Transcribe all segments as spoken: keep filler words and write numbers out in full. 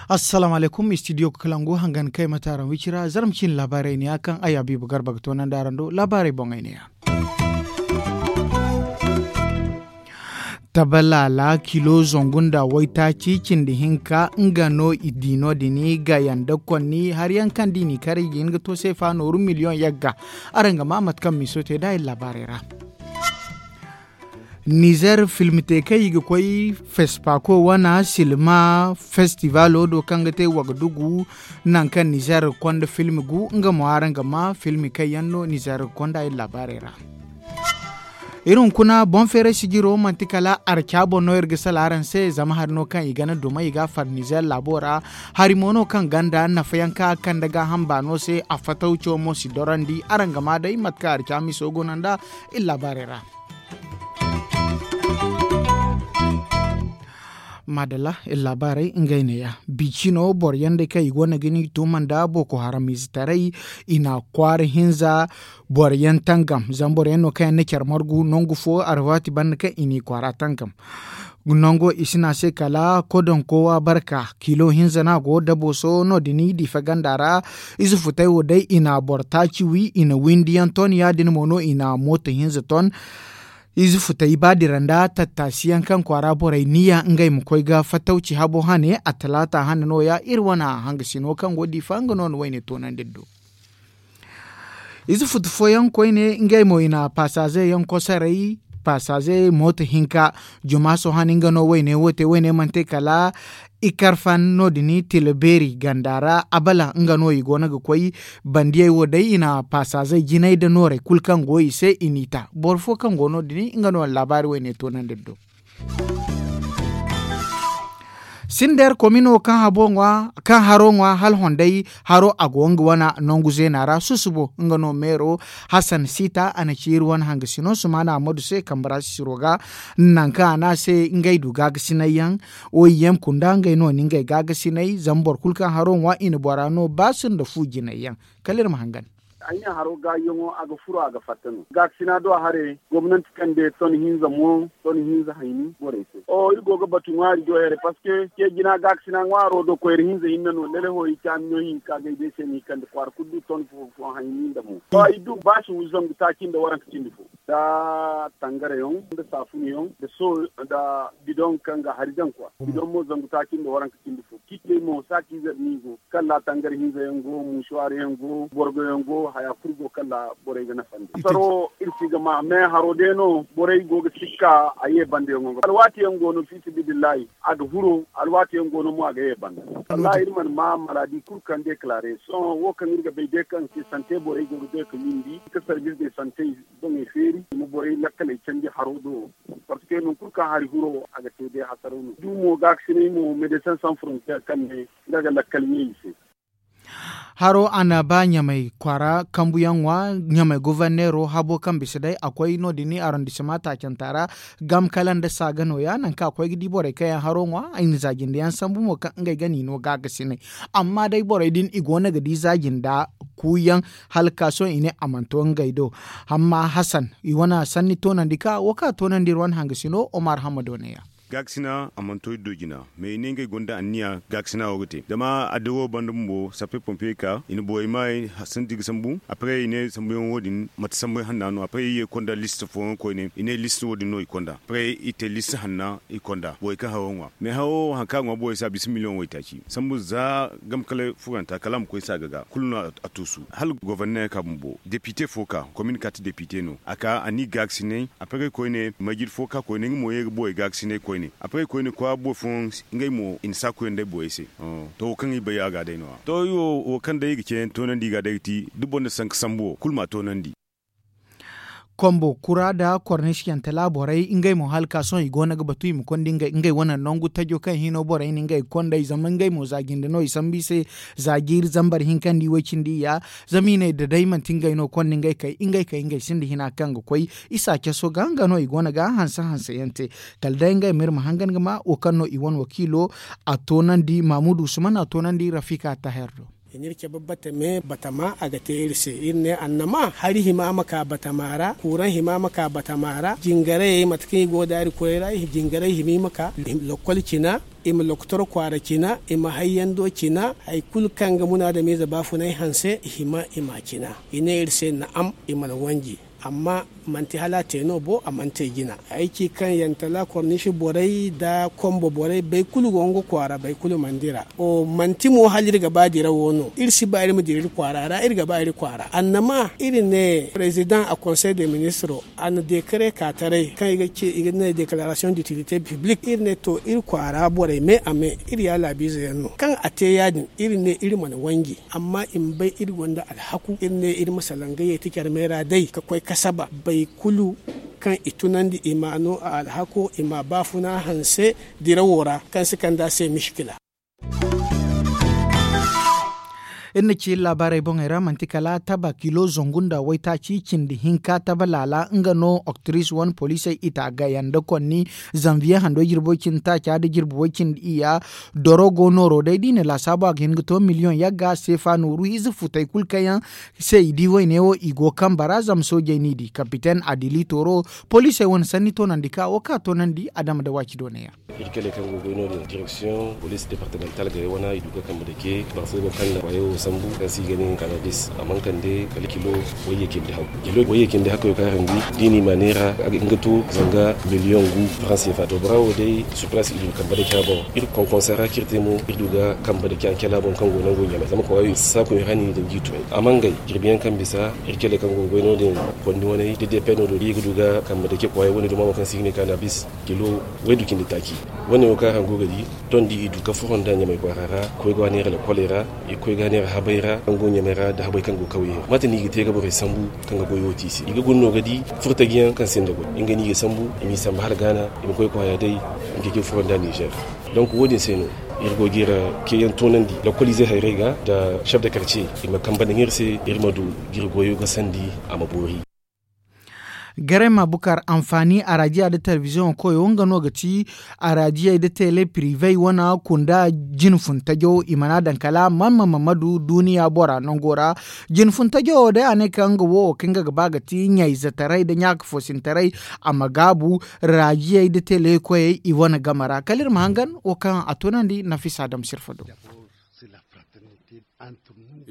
Assalaamu alaykum, istidiyo kalangu hangan kay mate araŋ wicira zarma ciine laabaarey ne ya kaŋ ay habiibu garba ga toonandi araŋ do laabaarey boŋey ne ya. Tabalaala kilo zangu nda waytaaci cindi hinka nga no i di no- din ga yanda konni hari yaŋ kaŋ da i n'i kar i ga hin ga to seefa nooru miliyoŋ yagga. Araŋ ga maa mate kaŋ miiso te nd'a iri laabaarey ra. Nizer film te kaŋ i ga koy fespaako wana silma festivaalo do kaŋ ga te wagadugu nangu kaŋ nizer ga konda film gu nga mo araŋ ga maa film kaŋ yaŋ no nizer ga konda iri laabaarey ra. Iri hunkuna boŋ feeray sijiro manti kala arca boŋ no iri ga sala araŋ se zama hari no kaŋ i gana dumey i ga a far nizer laabo ra. Hari mo no kaŋ ganda nafa yaŋ kaŋ a kande gaaham baano se a fatawco mo si dorandi araŋ ga maa day mate kaŋ arca miso go no nd'a iri laabaarey ra. Maadalla iri laabaarey ngey neeya. Bici no boro yaŋ day kaŋ i go no ga ni tuuma nda booko haram ize taray i na kwaara hinza boro yaŋ tangam zama boro yaŋ no kaŋ yaŋ na care margu nangu fo alwaati banda kaŋ i n'i kwaara tangam. Nango i si ne a se kala kodonko waabarka kilo hinza no a go dabooso no- din diifa ganda ra. Ize futay wo day i na boro taaci wi i na windi yaŋ ton ya- din mo no i na mooto hinza ton. Ize futay ba dira nda tattaasi yaŋ kaŋ kwaara borey niya ngey ma koy ga fattawci habo hane attalaata hane no- ya iri wane hangasino kaŋ go diifa nga no na wayne toonandi iri do. Ize futu fooyaŋ koyne ngey mo i na paasaaze yaŋ kosaray paasaaze mooto hinka. Juma sohã ni nga no wayne wo te wayne mana te kala i karfan no- din tila beeri ganda ra abala nga no i go no ga koy. Bandiyey wo day i na paasaazey jinay nda noorey kulu kaŋ go i se i n'i ta boro fo kaŋ go no- din nga no laabaari wayne toonandi iri do. Sindeer komino kaŋ haro ŋwa hala honday haro a go nga wane nangu zeena ra susubo nga no meero. Hasan siita a na ci iri wane hangasino sumaana ammadu se kambe ra sisiro ga nangu kaŋ a ne a se ngey du gaagasinay yaŋ. Oy yem kunda ngey no ni ngey gaagasinay zama boro kulu kaŋ haro ŋwa i na bora no ba sinda fu jinay yaŋ. Kala iri ma hangan. Ay ne haro gaayiyaŋo a ga furo a ga fatta no gaakasina do a hare gomnanti kande ton hinza mo ton hinza hayni borey se. Iri go ga batu ŋwaari do here parceque ce jina gaakasina ŋwaaro do koyra hinza hinne no lele ho i caami no hinka gay day se no i kande kwaara kulu du ton fo fo hayni nda mo. Ay du baasi zangu taaci nda waranka cindi fo nda tangarayaŋ nda saafunayaŋ nda so nda bidoŋ kaŋ ga hari daŋ kwa bidoŋ mo zangu taaci nda waranka cindi fo ciitey mo saaci zar no i go. Kala tangari hinza yaŋ go muusuwaar yaŋ go borgo yaŋ go haya kulu go kala borey ga nafa nda saro iri si ga ma me haro day no borey go ga sikka a ye banda yaŋo ga alwaati yaŋ go no fiisa bidillahi a ga furo alwaati yaŋ go no mo a ga ye banda. Wallahi iri mana ma maladi kulu kaŋ deklaare sohõ wo kaŋ iri ga bay day kaŋ se sante borey go ga day ka windi ka sarbis de sante boŋey feeri i ma borey lakkaley candi haro do. Parceque nangu kulu kaŋ hari huro a ga te day hasaraw no du mo gaakasinay mo medesin sans frontier kaŋ ne nga ga lakkal ɲey i se. Haro a na ba ɲamay kwaara kambuyaŋ ŋwa ɲamay goforneero habo kaŋ bisa day a koy no- din arondissement taacanta ra. Gam kala nda saaga nooya nangu kaŋ a koy ga di borey kaŋ yaŋ haro ŋwa i na zaajindiyaŋ sambu mo kaŋ ngey ga no i no gaagasinay. Amma day borey din i go no ga di zaaji nda kuuyaŋ hala ka sohõ i ne a mana to ngey do. Amma hasan i wane sanni toonandi ka wo kaŋ a toonandi iri wane hangasino omar hammado neeya. Gaakasina a mana to iri do jina mais i ne ngey gonda anniya gaakasina wo ga te zama adda wo banda bumbo sappe pompe ka i na borey maayey santi ga sambu après i ne sambuyaŋ wo- din mate sambuyaŋ hanna no après i ye konda liste fooyaŋ koyne i ne liste wo- din no i konda après i te liste hanna i konda borey kaŋ haro ŋwa mais haro hari kaŋ a ŋwa borey se a bisa miliyoŋ waytaaci sambu za gamkalay furanta kala a ma koy saaga ga kulu no a tuusu hala goforneer ka bumbo depite fo ka komin kati depite no a ka a n'i gaakasinay. Après koyne majid fo ka koyne nga mo ye ga borey gaakasinay koyne après koyne kwaara boro fooyaŋ ngey mo i na saakuyaŋ day borey se. To wo kaŋ i bay a ga day no- ya to iri wo wo kaŋ day i ga ceeyaŋ toonandi i ga day ga ti da boro na sanka sambu wo kulu ma a toonandi. Kombo kura nda kornisiyante laaborey ngey mo hala ka sohõ i go no ga batu i ma konda ngey wane nangu tajo kaŋ hino borey na ngey ga konda i zama ngey mo za jinde no i sambu i se. Za jiiri zambar hinka nda i way cindi iyya zama i ne da day manti ngey no konda ngey kay ngey kay ngey sinda hina kaŋ ga koy. I si a caso ga nga no i go no ga hanse hanse yaŋ te. Kala day ngey ma iri ma hangan ga ma wo kaŋ no i wane wakiilo a toonandi mamudu usman a toonandi rafika taher do. Iri cabe batame batama a ga te iri se iri ne annama hari hima ma ka batama ra kuuraŋ hima ma ka batama ra jingarayey mate kaŋ i go daari koyey ra jingaray hima i ma ka lokol cina, i ma lokotor kwaara cina, i ma hayyando cina, hari kulu kaŋ ga munaadamiize baafunay hanse i hima i ma a cina. I ne iri se na'am, i mana wanji. Amma manti hala a te no bo a mana te jina. Ay ci kaŋ yantala korniisi borey nda kombo borey bay kulu go nga kwaara bay kulu mana dira. Manti mo hala iri ga ba dira wo no iri si ba iri ma dira iri kwaara ra iri ga ba iri kwaara annama iri ne president a konsey de ministro, a na dekare ka taray kaŋ i ga ne dekararasiyoŋ ditilite piblik iri ne to iri kwaara borey me a me. Iri ya laabiize yaŋ no kaŋ a te ya- din iri ne iri mana wanji. Amma i ma bay iri gonda alhaku iri ne iri ma salaŋ ga yeeti care meera day ka koy kasaba bay kulu kaŋ i tunandi i ma no a alhako i ma baafuna hanse dirawo ra kaŋ si kand'a se miškila. Iri na ci iri laabaarey boŋey ra manti kala taba kilo zangu nda waytaaci cindi hinka taba laala nga no oktiris wane poliisey i ta gaya nda konni zanviye hando jirbi way cindi taaca nda jirbi way cindi iyya. Doro go nooro day da i na laasaabu a ga hin ga to miliyoŋ yagga seefa nooru ize futey kulu kaŋ yaŋ se i di wayne wo i go kambe ra zama soojey n'i di kapiten adili tooro poliisey wane sanni toonandi ka wo ka toonandi adama nda waaci doonay yaŋ. Iri kele kaŋ go goy no- din direksiyoŋ poliis departemental gare wane i du ga kambe dake barfo go kaŋ na kwayo wo sambu kaŋ se i ga ne kanabis a mana kande kala kilo wayye cindi hakku. Kilo wayye cindi hakku yo kaŋ a rangu da i n'i ma neera a ga hin ga to zanga miliyoŋ gu faransi fa to bora wo day supras i du ga kambe dake a boŋ. Iri konkonsa ra kaŋ iri te mo iri du ga kambe dake a cala boŋ kaŋ go nango ɲamay zama kwayo i si saaku iri ra ni daŋ jiito yaŋ a mangay jirbi yaŋ kaŋ bisa iri kele kaŋ go goy no- din kondi wane da depe no do da i ga du ga kambe dake kwayo wane duma mo kaŋ se i ga ne kanabis kilo waydu cindi taaci. Wane wo kaŋ araŋ go ga di tondi i du ga furo nda ɲamay kwaara ra koy ga neera lakoley ra i koy ga neera habay ra kaŋ go ɲamay ra nda habay kaŋ go kawyey ra mate no i ga te ga borey sambu kaŋ ga goyo te i se i ga guna no ga di furtajiyaŋ kaŋ sinda goy nga no i ga sambu i m'i sambu hala gaana i ma koy kwaaya day nga ga furo nda nizer. Donk wo- din se no iri go ga iri ceeyaŋ toonandi lokoliize hayrey ga nda chef de karce i ma kambe nda iri se iri ma du ga iri goyo ga sandi a ma boori. Garay ma bukar anfaani araadiya nda telebiziyoŋo koyo nga no ga ti araadiyey nda tele pirive wane kunda jine fun tajo i mana daŋ kala man ma madu duuniya bora nango ra. Jine fun tajo wo day a ne kaŋ nga wo wo kaŋ nga ga ba ga ti ɲayzetaray nda ɲaaka foosintaray a ma gaabu raadiyey nda tele koyey i wane game ra kala iri ma hangan wo kaŋ a tunandi nafisa dam sirfa do.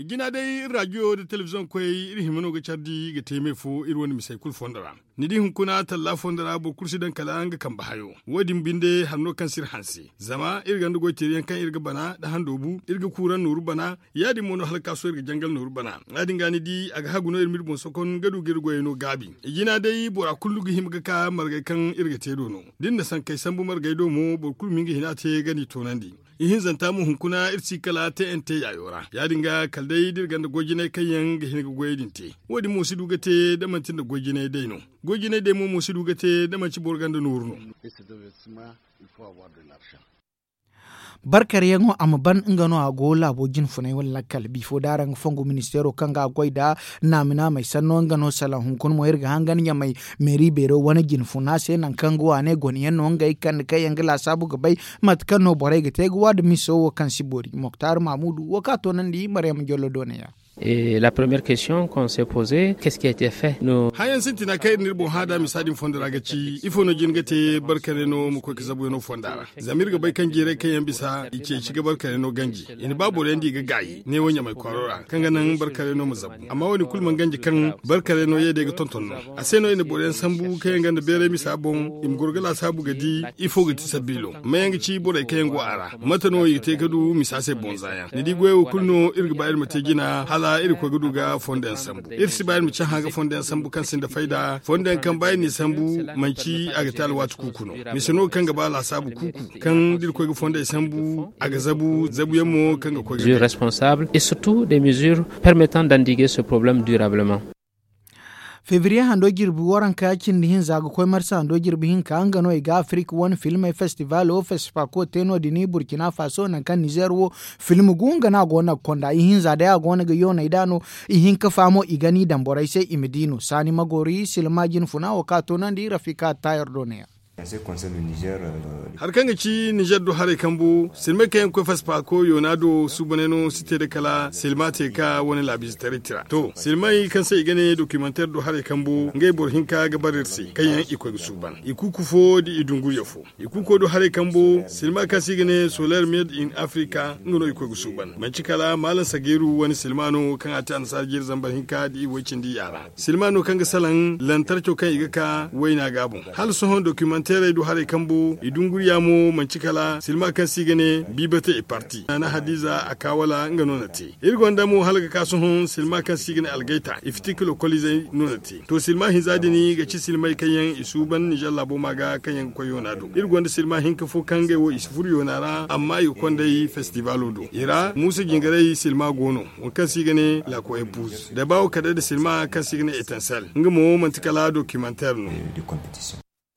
Jina day iri raadiyo nda telebiziyoŋ koyey iri hima no ga care di ga te me fo iri wane misey kulu fondo ra. Ni di hunkuna talla fondo ra boro kulu si daŋ kala nga kambe hayo. Wo- din binde hari no kaŋ si iri hanse zama iri gonda goy teeri yaŋ kaŋ iri ga bana nda handoobu iri ga kuuraŋ nooru bana. Ya- din mo no hala ga ka sohõ iri ga jangal nooru bana ya- din ga ni di a ga hagu no iri ma iri boŋ sokon ga du ga iri goyey no gaabi. Jina day bora kulu ga hima ga ka margey kaŋ iri ga te do no da ni na sankey sambu margey do mo boro kulu ma hin ga hina te ga ni toonandi. Ihinzanta mo hunkuna iri si kala te nt yaayo ra ya- din ga kala day da iri gonda goy jinay kaŋ yaŋ ga hin ga goyey din te. Wo- din mo si du ga te da manti nda goy jinay day no. Goy jinay day mo mo si du ga te da manti boro gonda nooru no. Barkaryaŋo a ma ban nga no a go laabo jinfunay wala lakkal bifo da araŋ ga fongu ministeero kaŋ ga a goy nda naami naamey sanno nga no salaŋ hunkuna mo iri ga hangan ɲamay meeri beero wane jinfuna se nangu kaŋ ga waaney gone yaŋ no ngey kande kaŋ yaŋ ga laasaabu ga bay mate kaŋ no borey ga te ga waada miso wo kaŋ si boori moktar maamudu wo kaŋ a toonandi maryama jollo doonaya. La première question qu'on s'est posée qu'est ce qui a été fait? Hayaŋ sintina kaŋ iri n'iri boŋ hã da misa din fondo ra ga ci ifo no jin ga te barkane no ma koy ga zabuyaŋo fonda ra? Zama iri ga bay kaŋ jeeray kaŋ yaŋ bisa i ceeci ga barkane no ganji. I na ba boro yaŋ di ga gaayi neewo ɲamay kwaaro ra kaŋ ga naŋ barkane no ma zabu. Amma wo- din kulu mana ganji kaŋ barkane no ye day ga tonton no. A se no i na boro yaŋ sambu kaŋ yaŋ gonda beeray misa boŋ i ma goro ga laasaabu ga di ifo ga ti sabiilo mayaŋ ga ci borey kaŋ yaŋ go a ra. Mate no i ga te ga du misa se bonza yaŋ ni di goyey wo kulu no iri ga ba iri ma te jina hala iri ga koy ga du ga fondo yaŋ sambu. Iri si ba iri ma cahã ga fondo yaŋ sambu kaŋ sinda fayda fondo yaŋ kaŋ ba iri n'i sambu manci a ga te alwaati kuuku no. Mise no kaŋ ga ba laasaabu kuuku kaŋ da iri koy ga fondey sambu a ga zabu zabuyaŋ mo kaŋ ga koy ga responsable et surtout des mesures permettant d'endiguer ce problème durablement. Febriye hando jirbi waranka cindi hinza ga koy marsa hando jirbi hinka nga no i ga afirik wane filmey festivalo fesipako te no- din burkina faso nangu kaŋ nizer wo film gu nga no a go no ga konda ihinza day a go no ga yooney da no. Ihinka fa mo i ga ni daŋ borey se i ma di no saani magoori silma jinfuna wo kaŋ a toonandi rafika tayar do ne ya. Hari kaŋ ga ci nizer do haray kambu silmay kaŋ yaŋ ga koy faspaako yoona do suubanay no si te da kala silma te ka wane laabiizetaray tira to silmay kaŋ se i ga ne dokimanteer do haray kambu ngey boro hinka ga bare iri se kaŋ yaŋ i koy ga suuban i kuuku fo da i dunguriya fo. I kuuko do haray kambu silma kaŋ se i ga ne soler med in afrika nga no i koy ga suuban manci kala maalam sageeru wane silma no kaŋ a te annasaara jeeri zambar hinka da i way cindi yaara. Silma no kaŋ ga salaŋ lantarco kaŋ i ga ka wayna ga boŋ hala sohõ dokimanteerey do haray kambu i dunguriya mo manci kala silma kaŋ se i ga ne biibate i parti naana hadiza a ka wala nga no na te. Iri gonda mo hala ga ka sohõ silma kaŋ se i ga ne algayta i fitikilo kolizey no na te to silma hinza din ga ci silmey kaŋ yaŋ i suuban nizer laabo ma ga kaŋ yaŋ ga koy yoona do iri gonda silma hinka fo kaŋ ngey wo i si furo yoona ra amma i ga konday festivalo do i ra muusa jingaray silma go no. Waŋ kaŋ se i ga ne lakoyey puuz da baawo kala day nda silma kaŋ se i ga ne etansel nga mo manti kala dokimanteer no.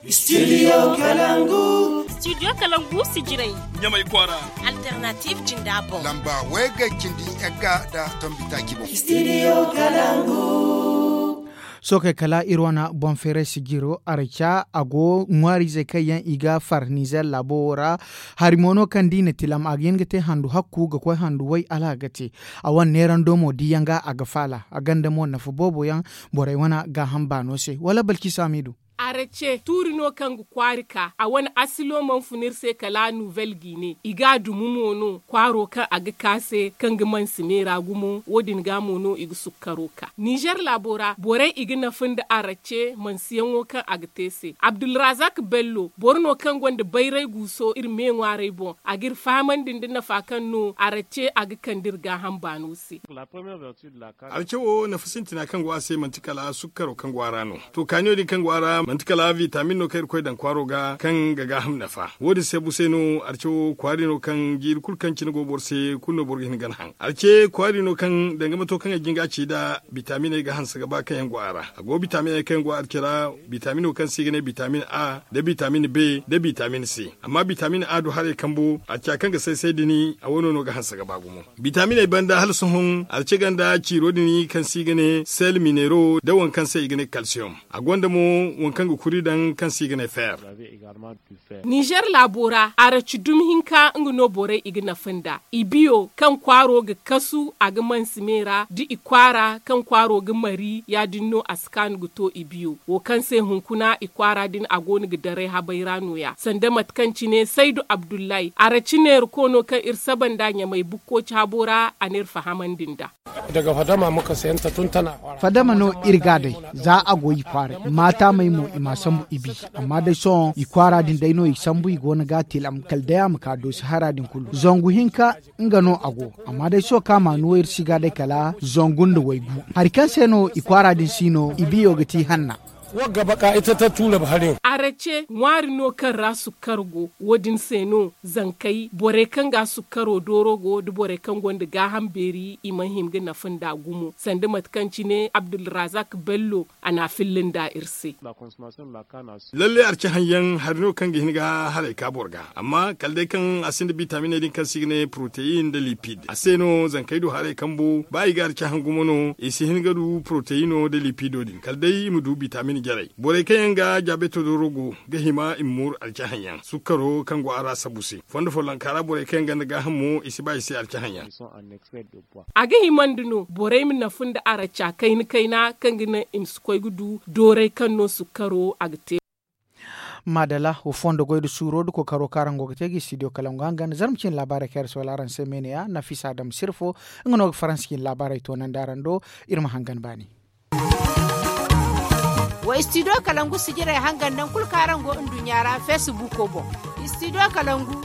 Studio kalangu. Studio kalangu sijiray ɲamay kwaara. Alternative jinda boŋ lamba way ga cindi yagga nda tombi taaci boŋ. Studio kalangu. Sookey kala iri wane boŋ feeray sijiro araca a go ŋwaariizey kaŋ yaŋ i ga far nizer laabo wo ra. Hari mo no kaŋ da i na tilam a ga hin ga te handu hakku ga koy handu way hala a ga te. A wane neerando mo diyaŋ ga a ga faala a gonda mo nafa boobo yaŋ borey wane gaaham baano se wala balci saamiidu. Arace tuuri no kaŋ ga kwaari ka a wane asilo mana fun iri se kala nuvel gine i ga a dumu mo no kwaaro kaŋ a ga ka se kaŋ ga mansi neera gumo wo- din ga mo no i ga sukkaro ka nizer laabo ra borey i ga nafa nda arace mansiyaŋo kaŋ a ga te se abdulrazak bello boro no kaŋ gonda bayray guuso iri me ŋwaarey boŋ a ga iri fahamandi nda nafa kaŋ no arace a ga kande iri gaaham baano se. Arace wo nafa sintina kaŋ go a se manti kala sukkaro kaŋ go a ra no. To kaaniyo din kaŋ go a ra manti kala vitamin no kaŋ irkoy daŋ kwaaro ga kaŋ ga gaaham nafa wo- din se bu se no arace wo kwaari no kaŋ jiiri kulu kaŋ cine go boro se kulu no boro ga hin ga ni haŋ arace kwaari no kaŋ danga mato kaŋ ay jin ga a ci nd'a bitaminey ga hanse ga ba kaŋ yaŋ go a ra. A go bitaminey kaŋ yaŋ go arace ra bitamino kaŋ se i ga ne bitamin a nda bitamin b nda bitamin c. Amma bitamin a du haray kambu araca kaŋ ga say say din a wano no ga hanse ga ba gumo. Bitaminey banda hala sohõ arace gonda ciiro din kaŋ se i ga ne sel minero nda waŋ kaŋ se i ga ne kalsiyom. A gonda mo waŋ kaŋ ga kuri daŋ kaŋ se i ga ne feer. Nizer laabo ra araci dumi hinka nga no borey i ga nafa nda i biyo kaŋ kwaaro ga kasu a ga mansi me ra da i kwaara kaŋ kwaaro ga mari ya- din no a si kaanu ga to i biyo wo kaŋ se hunkuna i kwaara din a go no ga daray habay ra no- ya sanda mate kaŋ cine saydu abdullahi araci neerako no kaŋ iri saba nd'a ɲamay bukkoci habo ra a na iri fahamandi nd'a. Fadama no iri ga a day za a go i kwaaray maataamey mo i m'a sambu i bi. Amma day sohõ i kwaara din day no i sambu i go no ga a tilam kala day a ma ka doosi hara din kulu zangu hinka nga no a go. Amma day sohõ kaŋ a ma a nuwa iri si ga day kala zangu nda waygu hari kaŋ se no i kwaara din si no i biyo ga ti hanna. Wagga baka ita ta tuurab hari. Arace ŋwaari no kaŋ ra sukkar go wo- din se no zankey borey kaŋ ga sukkaro dooro go nda borey kaŋ gonda gaaham beeri i mana hima ga nafa nd'a gumo sanda mate kaŋ cine abdulrazak bello a na a filla nd'a iri se. Lalle arce haŋyaŋ hari no kaŋ ga hin ga haray ka boro ga amma kala day kaŋ a sinda bitaminey din kaŋ se i ga ne proteyin nda lipid a se no zankey du haray kambu ba i ga arce haŋ gumo no i si hin ga du proteyino nda lipido din kala day i ma du bitamin jarey. Borey kaŋ yaŋ ga jaabeto dooro go ga hima i ma mooru alcahaŋ yaŋ sukkaro kaŋ go a ra sabu se. Fondo follonka ra borey kaŋ yaŋ gonda gaaham mo i si ba i se alcahaŋ yaŋ. A ga himandi no borey ma nafa nda araca kayna kayna kaŋ ga naŋ i ma si koy ga du dooray kaŋ no sukkaro a ga te. Maadala wo fondo goy nda suuro nda kookaro kaŋ araŋ go ga te ga studio kalangu hangan zarma cine laabaarey kaŋ iri si wala araŋ se meeneya nafisa dam sirfo. Nga no ga faransa cine laabaarey toonandi araŋ do. Iri ma hangan baani. Wa studio kalangu sijirey hangan nangu kulu kaŋ araŋ go nduɲɲa ra feesibuuko boŋ. Studio kalangu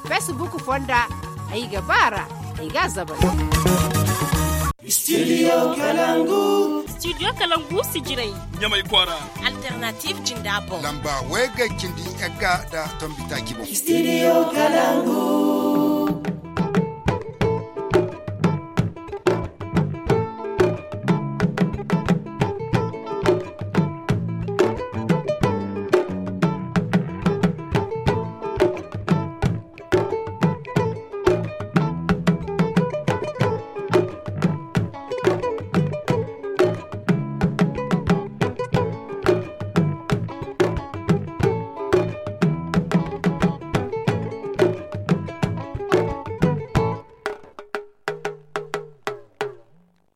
feesibuuko fonda ay ga ba a ra ay ga a zabay. Studio kalangu. Studio kalangu sijirey ɲamay kwaara. Alternatiif jinda boŋ lamba way ga cindi yagga nda tombi taaci boŋ. Studio kalangu.